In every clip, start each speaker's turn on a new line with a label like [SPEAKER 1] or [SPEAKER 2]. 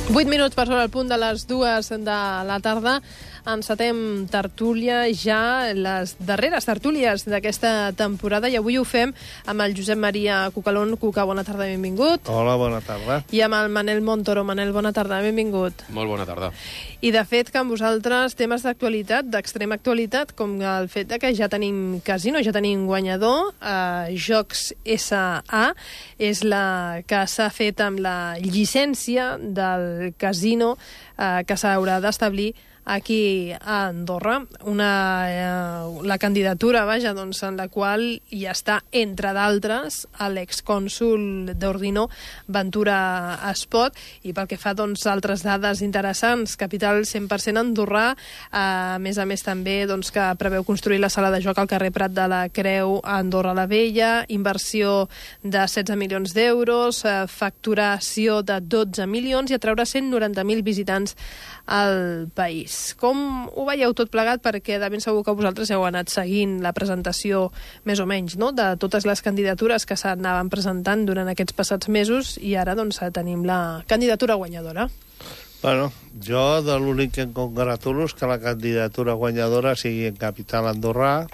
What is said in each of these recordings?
[SPEAKER 1] 8 minuts per sobre el punt de les 2 de la tarda. Encetem tertúlia, ja les darreres tertúlies d'aquesta temporada, i avui ho fem amb el Josep Maria Cucalón. Cuca, bona tarda, benvingut.
[SPEAKER 2] Hola, bona tarda.
[SPEAKER 1] I amb el Manel Montoro. Manel, bona tarda, benvingut.
[SPEAKER 3] Molt bona tarda.
[SPEAKER 1] I de fet que amb vosaltres temes d'actualitat, d'extrema actualitat, com el fet de que ja tenim casino, ja tenim guanyador. Jocs S.A. és la que s'ha fet amb la llicència del casino que s'haurà d'establir aquí a Andorra. La candidatura, vaja, doncs, en la qual hi està, entre d'altres, l'excònsol d'Ordino, Ventura Espot, i pel que fa, doncs, altres dades interessants, capital 100% andorrà, a més també, doncs, que preveu construir la sala de joc al carrer Prat de la Creu a Andorra la Vella, inversió de 16 milions d'euros, facturació de 12 milions i atraure 190.000 visitants al país. Com ho veieu tot plegat? Perquè de ben segur que vosaltres heu anat seguint la presentació més o menys, no?, de totes les candidatures que s'anaven presentant durant aquests passats mesos, i ara doncs tenim la candidatura guanyadora.
[SPEAKER 2] Bueno, jo de l'únic que em congratulo és que la candidatura guanyadora sigui en capital andorrà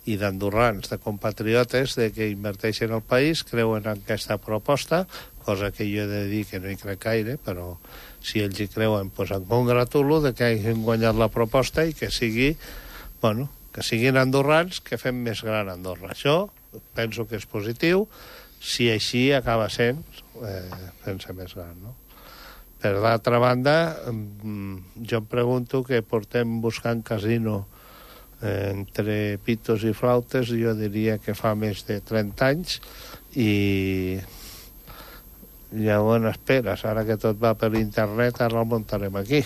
[SPEAKER 2] i d'andorrans, de compatriotes, de que inverteixen al país, creuen en aquesta proposta, cosa que jo he de dir que no hi crec gaire, però si ells hi creuen, doncs em congratulo de que hagin guanyat la proposta i que sigui, bueno, que siguin andorrans, que fem més gran Andorra. Això penso que és positiu, si així acaba sent fent-se més gran, no? Per l'altra banda, jo em pregunto que portem buscant casino entre pitos i flautes, jo diria que fa més de 30 anys, i llavors esperes, ara que tot va per internet, ara el muntarem aquí.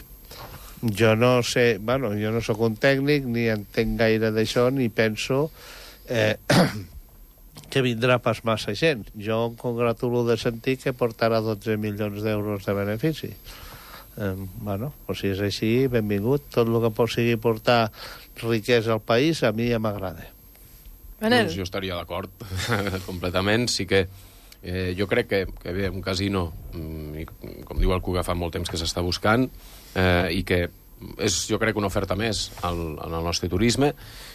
[SPEAKER 2] Jo no sé, bueno, jo no sóc un tècnic, ni entenc gaire d'això, ni penso que vindrà pas massa gent. Jo em congratulo de sentir que portarà 12 milions d'euros de benefici. Bueno, doncs si és així, benvingut. Tot el que sigui portar riquesa al país, a mi ja m'agrada.
[SPEAKER 1] Manel?
[SPEAKER 3] Doncs jo estaria d'acord completament. Sí que jo crec que bé, un casino, com diu el Cuga, fa molt temps que s'està buscant, i que és, jo crec, una oferta més en el nostre turisme.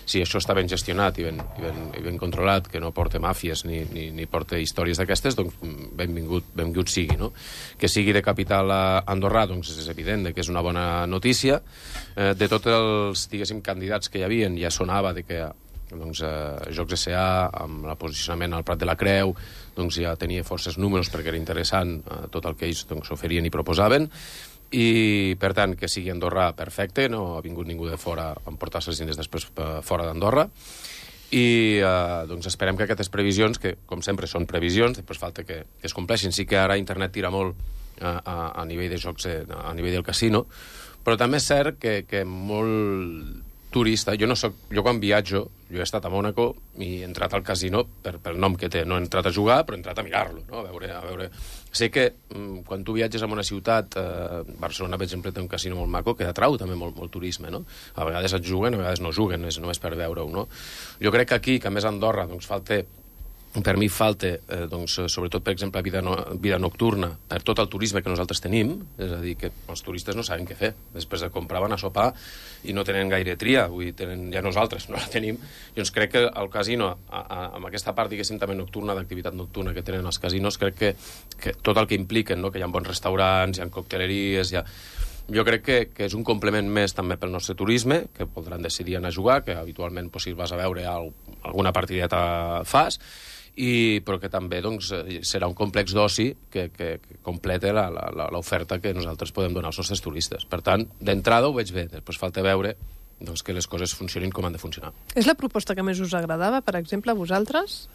[SPEAKER 3] Si això està ben gestionat i ben controlat, que no porta màfies ni porta històries d'aquestes, doncs benvingut sigui, no? Que sigui de capital andorrà, doncs és evident que és una bona notícia. De tots els, diguéssim, candidats que hi havia, ja sonava de que doncs, Jocs S.A., amb el posicionament al Prat de la Creu, doncs ja tenia forces números perquè era interessant tot el que ells doncs, oferien i proposaven. I, per tant, que sigui Andorra, perfecte, no ha vingut ningú de fora a emportar-se els diners després fora d'Andorra, i doncs esperem que aquestes previsions, que com sempre són previsions, després falta que es compleixin. Sí que ara internet tira molt a nivell de jocs, a nivell del casino, però també és cert que molt turista, jo quan viatjo, jo he estat a Mònaco i he entrat al casino pel nom que té, no he entrat a jugar, però he entrat a mirar-lo, no? A veure. Sé que quan tu viatges a una ciutat, Barcelona, per exemple, té un casino molt maco que atrau també molt turisme, no? A vegades et juguen, a vegades no juguen, és només per veure-ho, no? Jo crec que aquí, que a més a Andorra, doncs per mi falta, doncs, sobretot, per exemple, vida nocturna, per tot el turisme que nosaltres tenim, és a dir, que els turistes no saben què fer. Després de comprar van a sopar i no tenen gaire tria, vull dir, ja nosaltres no la tenim. Llavors crec que el casino, amb aquesta part, diguéssim, també nocturna, d'activitat nocturna que tenen els casinos, crec que tot el que impliquen, no?, que hi ha bons restaurants, hi ha cocteleries, jo crec que és un complement més també pel nostre turisme, que podran decidir anar a jugar, que habitualment, si vas a veure alguna partideta fas, però que també doncs, serà un complex d'oci que completa l'oferta que nosaltres podem donar als nostres turistes. Per tant, d'entrada ho veig bé, després falta veure doncs, que les coses funcionin com han de funcionar.
[SPEAKER 1] És la proposta que més us agradava, per exemple, a vosaltres?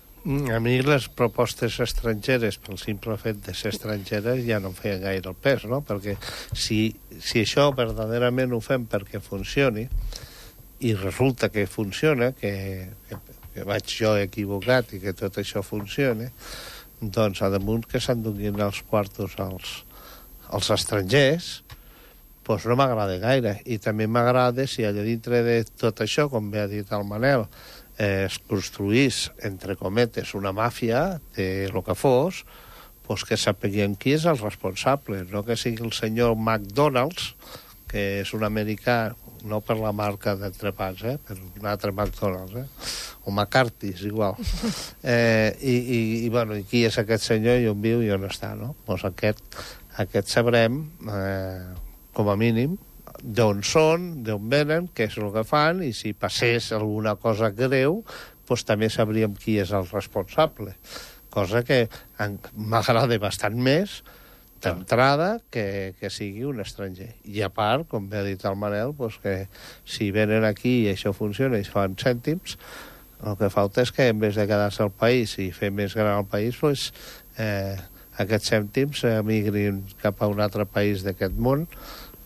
[SPEAKER 2] A mi les propostes estrangeres, pel simple fet de ser estrangeres, ja no em feien gaire el pes, no? Perquè si això verdaderament ho fem perquè funcioni, i resulta que funciona, que vaig jo equivocat i que tot això funciona, doncs a damunt que s'enduguin els quartos als estrangers, doncs no m'agrada gaire. I també m'agrada si allà dintre de tot això, com bé ha dit el Manel, es construís, entre cometes, una màfia de lo que fos, pues que sapiguem qui és el responsable, no que sigui el senyor McDonald's, que és un americà, no per la marca d'entrepans, per un altre McDonald's, o McCarthy's, igual. I qui és aquest senyor i on viu i on està, no? Doncs aquest sabrem, com a mínim, d'on són, d'on venen, què és el que fan, i si passés alguna cosa greu, doncs també sabríem qui és el responsable. Cosa que m'agrada bastant més d'entrada que sigui un estranger. I a part, com bé ha dit el Manel, doncs que si venen aquí i això funciona i es fan cèntims, el que falta és que en vez de quedar-se al país i fer més gran el país, doncs, aquests cèntims emigrin cap a un altre país d'aquest món,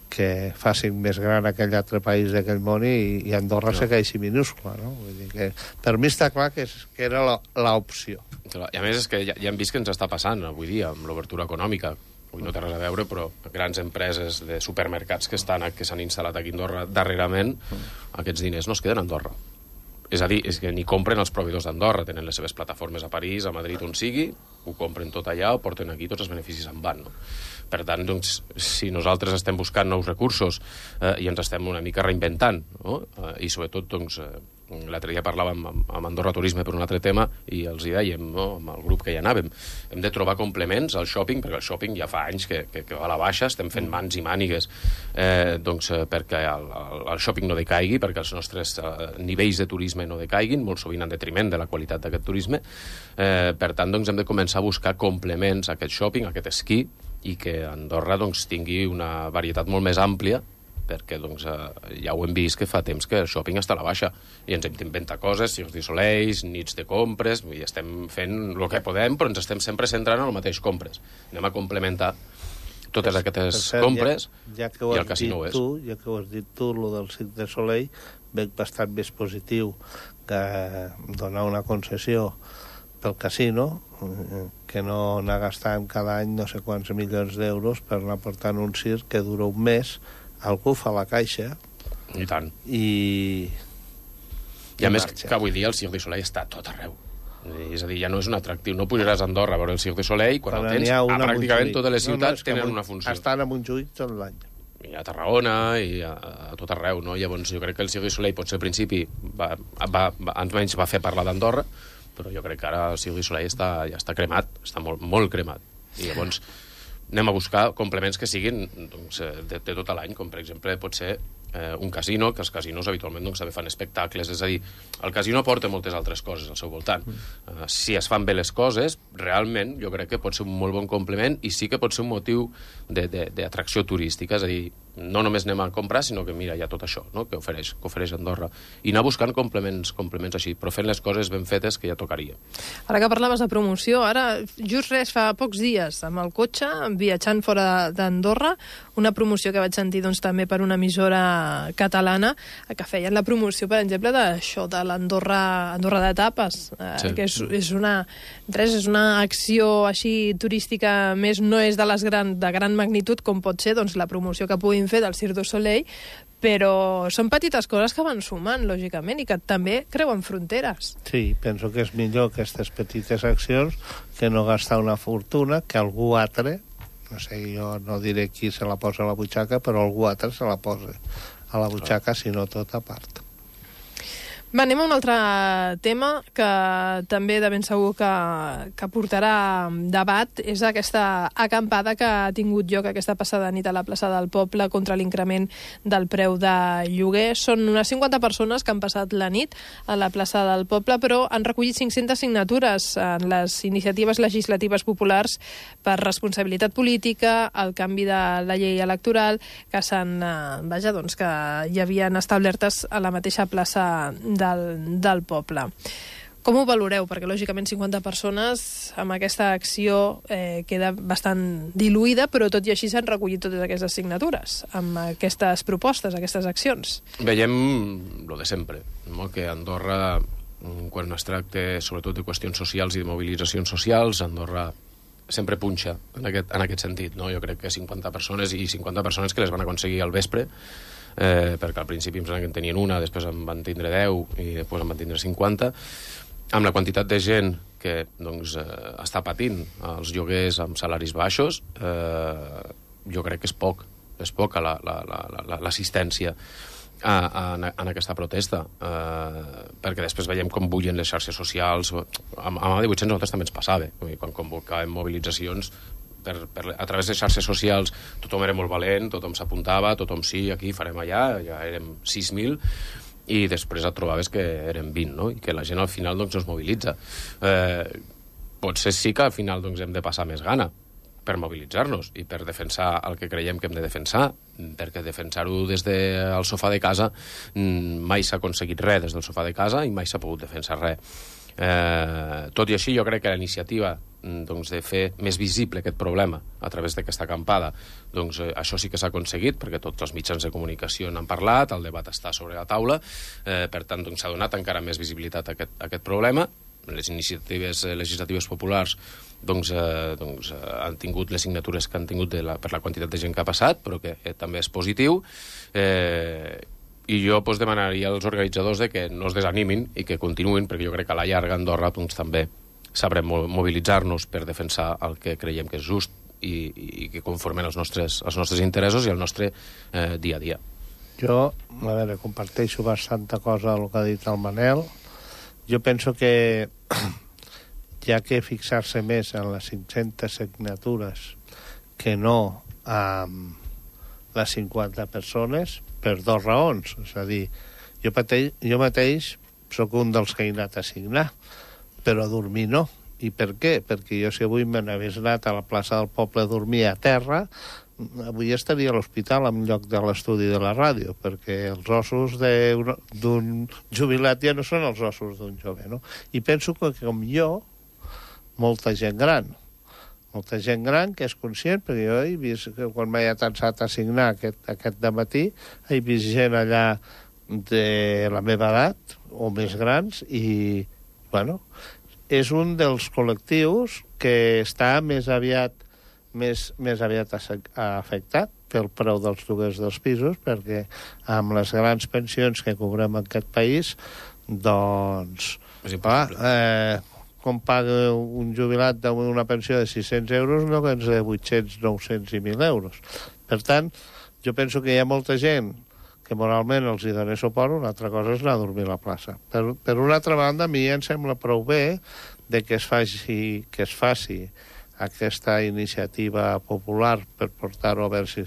[SPEAKER 2] que facin més gran aquell altre país d'aquell món i Andorra segueixi minúscula, no? Vull dir que per mi està clar que era l'opció.
[SPEAKER 3] I a més és que ja hem vist que ens està passant avui dia amb l'obertura econòmica. Avui no té res a veure, però grans empreses de supermercats que s'han instal·lat aquí a Andorra darrerament, aquests diners no es queden a Andorra. És a dir, és que ni compren els proveïdors d'Andorra, tenen les seves plataformes a París, a Madrid, on sigui, ho compren tot allà, ho porten aquí, tots els beneficis en van, no? Per tant, doncs, si nosaltres estem buscant nous recursos i ens estem una mica reinventant, no? I sobretot, doncs, l'altre dia parlàvem amb Andorra Turisme per un altre tema i els hi dèiem, no? Amb el grup que hi anàvem, hem de trobar complements al shopping, perquè el shopping ja fa anys que va a la baixa, estem fent mans i mànigues doncs, perquè el shopping no decaigui, perquè els nostres nivells de turisme no decaiguin, molt sovint en detriment de la qualitat d'aquest turisme. Per tant, doncs, hem de començar a buscar complements a aquest shopping, a aquest esquí, i que Andorra doncs, tingui una varietat molt més àmplia, perquè doncs, ja ho hem vist que fa temps que el shopping està a la baixa i ens hem d'inventar coses, Cirque du Soleil, nits de compres, i estem fent el que podem, però ens estem sempre centrant en el mateix compres. Anem a complementar totes aquestes compres i el casino ho és.
[SPEAKER 2] Ja que ho has dit tu, el del Cirque du Soleil, veig bastant més positiu que donar una concessió pel casino, que no anar gastant cada any no sé quants milions d'euros per anar portant un circ que dura un mes, algú fa la caixa
[SPEAKER 3] i tant.
[SPEAKER 2] I
[SPEAKER 3] a més que avui dia el Cirque du Soleil està a tot arreu. És a dir, ja no és un atractiu. No pujaràs a Andorra a veure el Cirque du Soleil quan el tens a pràcticament totes les ciutats tenen una funció.
[SPEAKER 2] Estan a Montjuïc tot l'any.
[SPEAKER 3] I a Tarragona i a tot arreu, no? Llavors jo crec que el Cirque du Soleil potser al principi almenys va fer parlar d'Andorra, però jo crec que ara el Cirque du Soleil ja està cremat, està molt, molt cremat. I llavors anem a buscar complements que siguin doncs, de tot l'any, com per exemple pot ser un casino, que els casinos habitualment doncs, també fan espectacles, és a dir, el casino porta moltes altres coses al seu voltant. Si es fan bé les coses, realment jo crec que pot ser un molt bon complement i sí que pot ser un motiu d'atracció turística, és a dir, no només anem a comprar, sinó que mira, hi ha tot això, no? que ofereix Andorra. I anar buscant complements així, però fent les coses ben fetes que ja tocaria.
[SPEAKER 1] Ara que parlaves de promoció, ara just fa pocs dies, amb el cotxe, viatjant fora d'Andorra, una promoció que vaig sentir doncs, també per una emissora catalana, que feien la promoció, per exemple, d'això, de l'Andorra de tapes, que és una acció així turística més, no és de gran magnitud, com pot ser doncs, la promoció que puguin fer del Cirque du Soleil, però són petites coses que van sumant, lògicament, i que també creuen fronteres.
[SPEAKER 2] Sí, penso que és millor aquestes petites accions que no gastar una fortuna que algú altre, no sé, jo no diré qui se la posa a la butxaca, però algú altre se la posa a la butxaca, sinó tot a part.
[SPEAKER 1] Va, anem a un altre tema que també de ben segur que portarà debat. És aquesta acampada que ha tingut lloc aquesta passada nit a la plaça del Poble contra l'increment del preu de lloguer. Són unes 50 persones que han passat la nit a la plaça del Poble, però han recollit 500 signatures en les iniciatives legislatives populars per responsabilitat política, el canvi de la llei electoral, que que hi havien establertes a la mateixa plaça del poble. Com ho valoreu? Perquè, lògicament, 50 persones amb aquesta acció queda bastant diluïda, però tot i així s'han recollit totes aquestes signatures amb aquestes propostes, aquestes accions.
[SPEAKER 3] Veiem lo de sempre, no? Que Andorra, quan es tracta sobretot de qüestions socials i de mobilitzacions socials, Andorra sempre punxa en aquest sentit, no? Jo crec que 50 persones que les van aconseguir al vespre, perquè al principi em sembla que en tenien una, després en van tindre 10 i després en van tindre 50, amb la quantitat de gent que doncs, està patint els lloguers amb salaris baixos, jo crec que és poca l'assistència en aquesta protesta, perquè després veiem com bullen les xarxes socials. Amb AD800 nosaltres també ens passava, quan convocàvem mobilitzacions a través de xarxes socials, tothom era molt valent, tothom s'apuntava, tothom sí, aquí farem allà, ja érem 6.000, i després et trobaves que eren 20, no? I que la gent al final doncs, no es mobilitza. Potser sí que al final doncs, hem de passar més gana per mobilitzar-nos i per defensar el que creiem que hem de defensar, perquè defensar-ho des del sofà de casa mai s'ha aconseguit res des del sofà de casa i mai s'ha pogut defensar res. Tot i així, jo crec que la iniciativa doncs, de fer més visible aquest problema a través d'aquesta acampada, doncs, això sí que s'ha aconseguit, perquè tots els mitjans de comunicació n'han parlat, el debat està sobre la taula, per tant, doncs, s'ha donat encara més visibilitat a aquest problema. Les iniciatives legislatives populars doncs, han tingut les signatures que han tingut per la quantitat de gent que ha passat, però que també és positiu. I jo doncs, demanaria als organitzadors de que no es desanimin i que continuïn, perquè jo crec que a la llarga Andorra doncs, també sabrem mobilitzar-nos per defensar el que creiem que és just i que conformen els nostres interessos i el nostre dia a dia.
[SPEAKER 2] Jo, a veure, comparteixo bastanta cosa del que ha dit el Manel. Jo penso que hi ha que fixar-se més en les 500 signatures que no amb les 50 persones per dues raons. És a dir, jo mateix sóc un dels que he anat a signar, però a dormir no. I per què? Perquè jo si avui me n'hagués anat a la plaça del Poble a dormir a terra, avui estaria a l'hospital en lloc de l'estudi de la ràdio, perquè els ossos d'un jubilat ja no són els ossos d'un jove, no? I penso que, com jo, molta gent gran que és conscient, perquè jo he vist, quan m'he atançat a signar aquest dematí, he vist gent allà de la meva edat, o més grans, i, bueno, és un dels col·lectius que està més aviat afectat pel preu dels lloguers dels pisos, perquè amb les grans pensions que cobrem en aquest país, doncs, com paga un jubilat d'una pensió de 600 euros, no que ens de 800, 900 i 1.000 euros. Per tant, jo penso que hi ha molta gent que moralment els hi dona suport, una altra cosa és anar a dormir a la plaça. Per una altra banda, a mi em sembla prou bé de que es faci aquesta iniciativa popular per portar-ho a veure si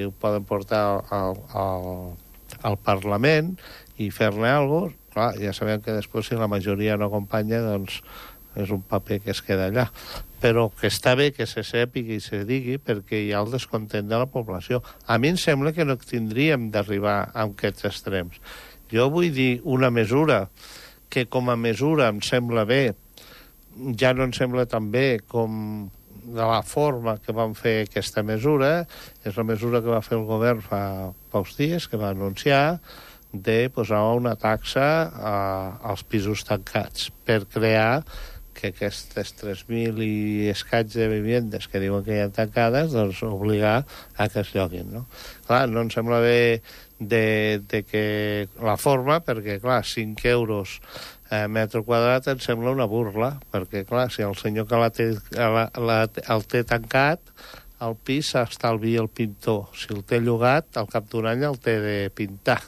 [SPEAKER 2] ho poden portar al Parlament i fer-ne alguna cosa. Clar, ja sabem que després si la majoria no acompanya, doncs és un paper que es queda allà. Però que està bé que se sàpiga i se digui perquè hi ha el descontent de la població. A mi em sembla que no tindríem d'arribar a aquests extrems. Jo vull dir una mesura que com a mesura em sembla bé, ja no em sembla tan bé com de la forma que van fer aquesta mesura, és la mesura que va fer el govern fa pocs dies, que va anunciar de posar una taxa als pisos tancats per crear que aquestes 3.000 i escaig de vivendes que diuen que hi ha tancades, doncs obligar a que es lloguin, no? Clar, no em sembla bé de que la forma, perquè, clar, 5 euros metre quadrat em sembla una burla, perquè, clar, si el senyor que el té tancat, el pis s'estalvia el pintor. Si el té llogat, al cap d'un any el té de pintar.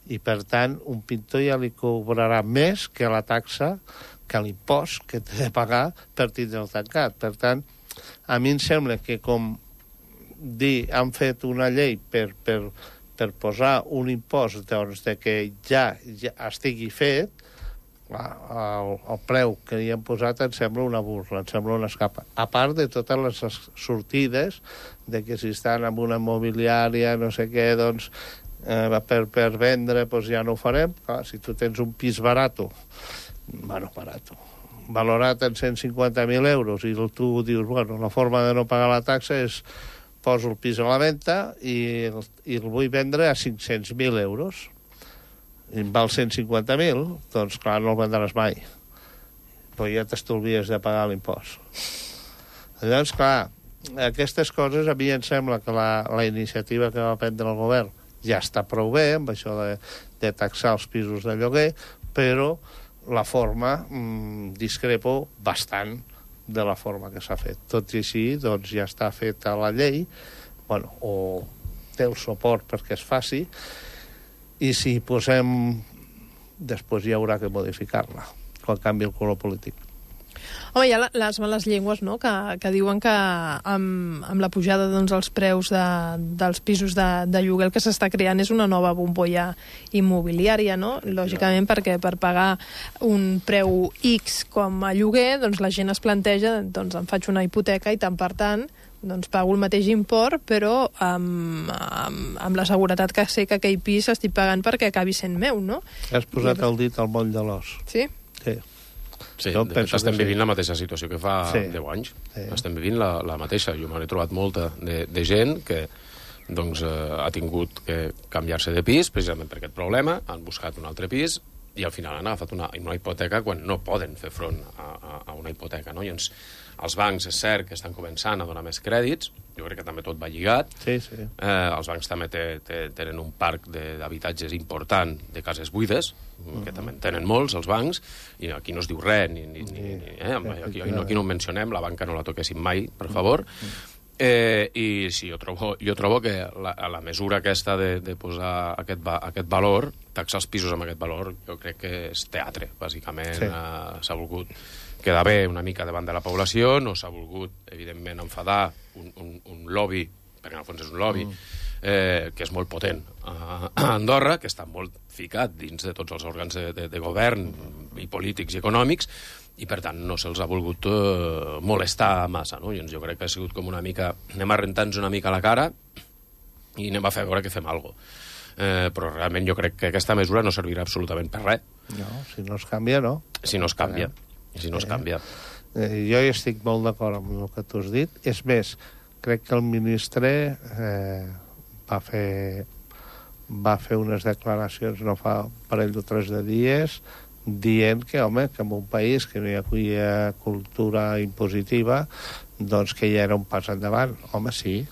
[SPEAKER 2] I, per tant, un pintor ja li cobrarà més que la taxa, que l'impost que té de pagar per tindre el tancat. Per tant, a mi em sembla que com han fet una llei per posar un impost doncs, de que ja estigui fet, el preu que hi han posat em sembla una burla, em sembla una escapa. A part de totes les sortides de que si estan en una immobiliària, no sé què, doncs, per vendre, doncs ja no ho farem. Clar, si tu tens un pis barato, valorat en 150.000 euros i tu dius, bueno, la forma de no pagar la taxa és poso el pis a la venda i el vull vendre a 500.000 euros. I em val 150.000, doncs clar, no el vendràs mai. Però ja t'estolvies de pagar l'impost. Llavors, clar, aquestes coses a mi em sembla que la iniciativa que va prendre el govern ja està prou bé, amb això de taxar els pisos de lloguer, però la forma discrepo bastant de la forma que s'ha fet. Tot i així, doncs ja està feta la llei, bueno, o té el suport perquè es faci, i si posem... després hi haurà que modificar-la, quan canvi el color polític.
[SPEAKER 1] Home, hi ha les males llengües, no?, que diuen que amb la pujada dels preus dels pisos de lloguer el que s'està creant és una nova bombolla immobiliària, no? Lògicament, perquè per pagar un preu X com a lloguer, doncs la gent es planteja, doncs em faig una hipoteca i tant per tant doncs pago el mateix import, però amb la seguretat que sé que aquell pis estic pagant perquè acabi sent meu, no?
[SPEAKER 2] Has posat el dit al moll de l'os.
[SPEAKER 1] Sí?
[SPEAKER 2] Sí.
[SPEAKER 3] Sí, de fet estem vivint la mateixa situació que fa 10 anys.
[SPEAKER 2] Sí.
[SPEAKER 3] Estem vivint la mateixa. Jo m'he trobat molta de gent que doncs, ha tingut que canviar-se de pis precisament per aquest problema, han buscat un altre pis i al final han agafat una hipoteca quan no poden fer front a una hipoteca, no? I els bancs, és cert que estan començant a donar més crèdits, jo crec que també tot va lligat.
[SPEAKER 2] Sí, sí.
[SPEAKER 3] Els bancs també tenen un parc d'habitatges important de cases buides, que també en tenen molts, els bancs, i aquí no es diu res, aquí no en mencionem, la banca no la toquéssim mai, per favor. I sí, jo trobo que la mesura aquesta de posar aquest valor, taxar els pisos amb aquest valor, jo crec que és teatre, bàsicament. S'ha volgut quedar bé una mica davant de la població, no s'ha volgut, evidentment, enfadar un lobby, perquè en el fons és un lobby, que és molt potent a Andorra, que està molt ficat dins de tots els òrgans de govern i polítics i econòmics, i per tant no se'ls ha volgut molestar massa, no? Jo crec que ha sigut com una mica... Anem a rentar-nos una mica la cara i anem a fer veure que fem alguna cosa. Però realment jo crec que aquesta mesura no servirà absolutament per res.
[SPEAKER 2] No, si no es canvia, no.
[SPEAKER 3] Si no es canvia. Si no es canvia.
[SPEAKER 2] Jo hi estic molt d'acord amb el que tu has dit. És més, crec que el ministre va fer unes declaracions no fa un parell o 3 de dies dient que, home, que en un país que no hi havia cultura impositiva, doncs que ja era un pas endavant. Home, sí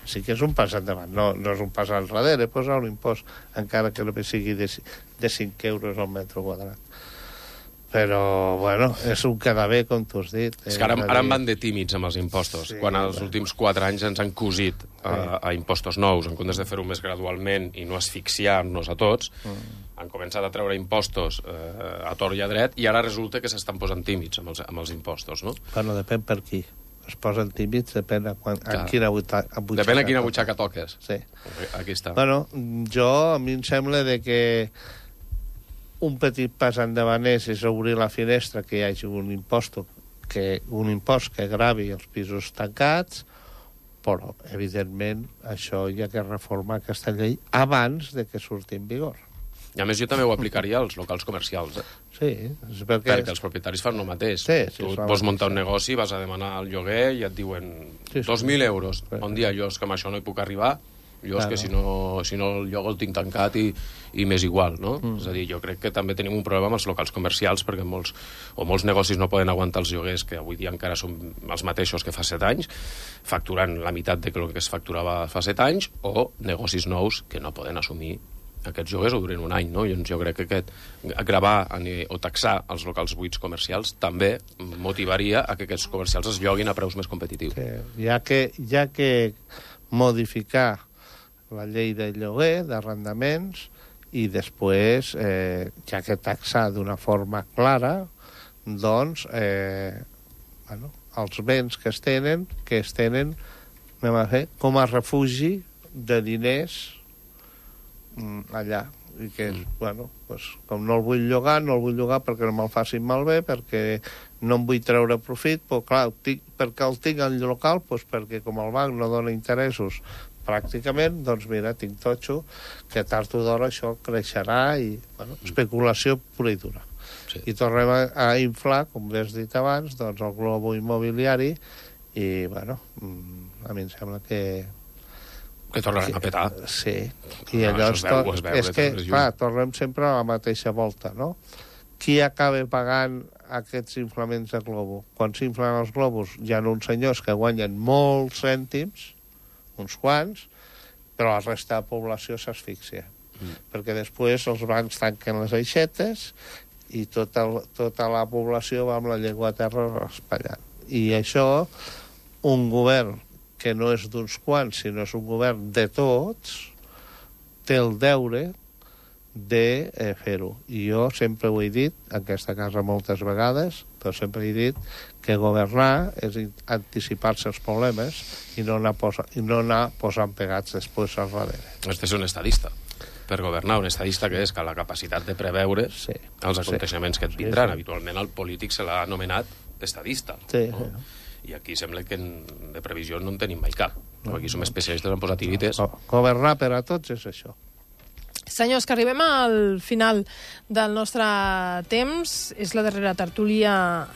[SPEAKER 2] que és un pas endavant. No és un pas al darrere, posar un impost, encara que només sigui de 5 euros al metre quadrat. Però, bueno, és un quedar bé, com tu has dit.
[SPEAKER 3] És que ara en van de tímids amb els impostos, quan els últims 4 anys ens han cosit a impostos nous, en comptes de fer-ho més gradualment i no asfixiar-nos a tots, han començat a treure impostos a tort i a dret, i ara resulta que s'estan posant tímids amb els impostos, no?
[SPEAKER 2] Bueno, depèn per qui. Es posen tímids, depèn a quina butxaca.
[SPEAKER 3] Depèn a quina butxaca toques.
[SPEAKER 2] Sí.
[SPEAKER 3] Aquí està.
[SPEAKER 2] Bueno, a mi em sembla que un petit pas endavant és obrir la finestra, que hi hagi un impost que gravi els pisos tancats, però, evidentment, això hi ha que reformar aquesta llei abans de que surti en vigor.
[SPEAKER 3] I a més jo també ho aplicaria als locals comercials.
[SPEAKER 2] Sí,
[SPEAKER 3] perquè els propietaris fan el mateix. Tu vols muntar un negoci, vas a demanar el lloguer i et diuen 2.000 euros. Un dia jo és que amb això no hi puc arribar, jo és que si no el lloc el tinc tancat i m'és igual, no? És a dir, jo crec que també tenim un problema amb els locals comercials, perquè molts negocis no poden aguantar els lloguers, que avui dia encara són els mateixos que fa 7 anys, facturant la meitat de el que es facturava fa 7 anys, o negocis nous que no poden assumir aquests lloguers o duren un any, no? Jo crec que gravar o taxar els locals buits comercials també motivaria a que aquests comercials es lloguin a preus més competitius.
[SPEAKER 2] Ja que modificar la llei de lloguer, d'arrendaments, i després, ja que taxar d'una forma clara, doncs, els béns que es tenen, anem a fer, com a refugi de diners allà, i que com no el vull llogar perquè no me'l facin malbé, perquè no em vull treure profit, però clar, perquè el tinc al local, perquè com el banc no dona interessos pràcticament, doncs mira, tinc totxo, que tard o d'hora això creixerà i, especulació pura i dura. I tornem a inflar, com bé has dit abans, doncs el globo immobiliari i, a mi em sembla que
[SPEAKER 3] tornaran a petar.
[SPEAKER 2] Sí. I llavors és que, clar, tornem sempre a la mateixa volta, no? Qui acaba pagant aquests inflaments de globo? Quan s'inflen els globus hi ha uns senyors que guanyen molts cèntims, uns quants, però la resta de la població s'asfixia. Perquè després els bancs tanquen les aixetes i tota la població va amb la llengua a terra raspallant. I això, un govern que no és d'uns quants, sinó és un govern de tots, té el deure de fer-ho. I jo sempre ho he dit, en aquesta casa moltes vegades, però sempre he dit que governar és anticipar-se als problemes i no anar posant pegats després al darrere.
[SPEAKER 3] Este és un estadista. Per governar, un estadista que és que la capacitat de preveure els aconteixements que et vindran. Habitualment el polític se l'ha anomenat estadista. No? I aquí sembla que de previsió no en tenim mai cap. Aquí som especialistes en posar tirites.
[SPEAKER 2] Governar per a tots és això.
[SPEAKER 1] Senyors, que arribem al final del nostre temps. És la darrera tertúlia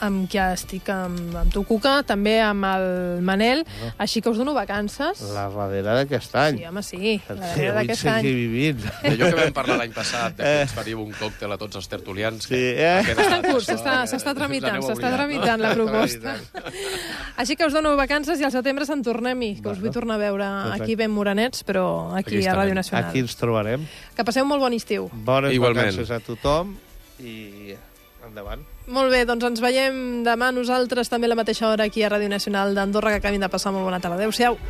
[SPEAKER 1] amb qui estic amb tu, Cuca, també amb el Manel, així que us dono vacances.
[SPEAKER 2] La darrera d'aquest any.
[SPEAKER 1] Sí, home, sí, la darrera d'aquest any.
[SPEAKER 2] Vivint.
[SPEAKER 3] Allò que vam parlar l'any passat, que ens faríem un còctel a tots els tertulians.
[SPEAKER 2] Sí,
[SPEAKER 1] està en curs, s'està tramitant la proposta. Així que us dono vacances i al setembre se'n tornem-hi, que us vull tornar a veure aquí ben morenets, però aquí a Ràdio Nacional.
[SPEAKER 2] Aquí ens trobarem.
[SPEAKER 1] Que passeu molt bon estiu.
[SPEAKER 2] Bones vacances a tothom i endavant.
[SPEAKER 1] Molt bé, doncs ens veiem demà nosaltres també a la mateixa hora aquí a Ràdio Nacional d'Andorra, que acabin de passar molt bona tarda. Adéu-siau.